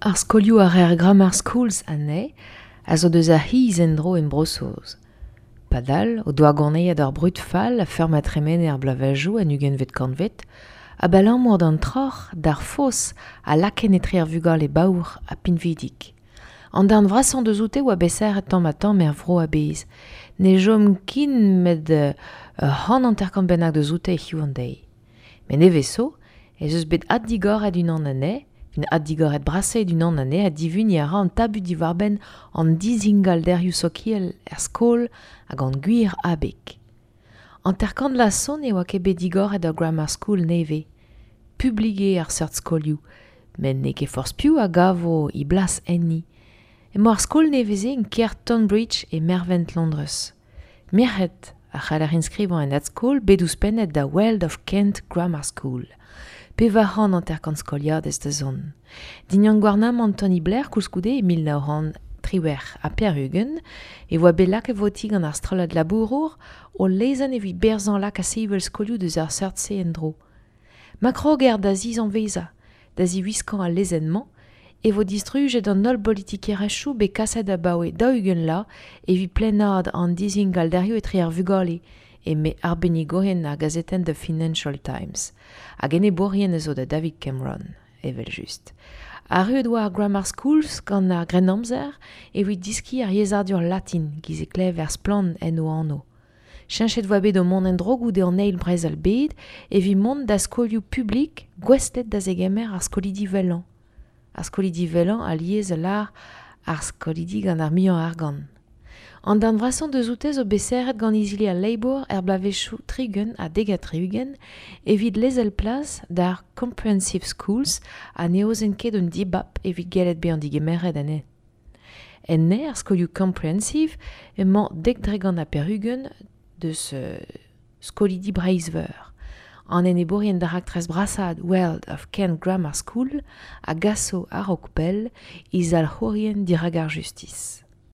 Ar skolioù a reer grammar schools anezhe a zo deus ar c'hiz en-dro en Bro-Saoz. Padal o doa gonezet ur brud fall a-feur ma tremene ar bloavezhioù en ugentvet kantved, abalamour d'an troc'h, d'ar foz a lakaent etre ar vugale baour ha pinvidik. An darn vrasañ deus oute oa bet serret tamm-ha-tamm er vro a-bezh. Ne chom ken met ur 150 bennak deus oute hiziv an deiz. Met nevez zo ez eus bet addigoret unan anezhe, un addigoret brasaet unan anezhe ha divuniñ a ra an tabut diwar-benn an dizingalderioù sokial er skol ha gant gwir abeg. 50 vloaz zo ne oa ket bet digoret ur grammar school nevez. Publik eo ar seurt skolioù, met n'eo ket forzh piv a gavo e blas enni. Emañ ar skol nevez-se en kêr Tonbridge e mervent Londrez. Merc'hed a c'haller enskrivañ en adskol bet ouzhpennet da World of Kent Grammar School. 450 skoliadez da zont. Dindan gouarnamant Tony Blair koulskoude e 1998 e oa bet lakaet votiñ gant ar strollad labourour o lezenn evit berzañ lakaat sevel skolioù deus ar seurt-se en-dro. Ma kroger da zizanvezañ, da ziwiskañ al lezenn-mañ, e vo distrujet an holl bolitikerezhioù bet kaset abaoe 40 vloaz evit plaenaat an dizingalderioù etre ar vugale, eme arbennigourien ar gazetenn The Financial Times. Hag enebourien a zo da David Cameron, evel-just. Arruet oa ar grammar schools gant ar Grennamzer evit diskiñ ar yezhadur latin giz e klever splann en o anv. Cheñchet oa bet o mont en-dro goude an eil brezel-bed evit mont da skolioù publik gouestlet da zegemer ar skolidi wellañ. Ar skolidi wellañ alies a lâr ar skolidi gant ar muiañ argant. An darn vrasañ deus oute zo bet serret gant izili al Labour er bloavezhioù 30 ha 30 evit lezel plas d'ar Comprehensive Schools ha ne aozent ket un dibab evit gellet bezañ digemeret anezhe. Enne ar skolioù Comprehensive emañ 90% deus skolidi Breizh-Veur. An enebourien da raktres brasaat World of Kent Grammar School a gaso a-raok pell he zalc'hourien dirak ar justis.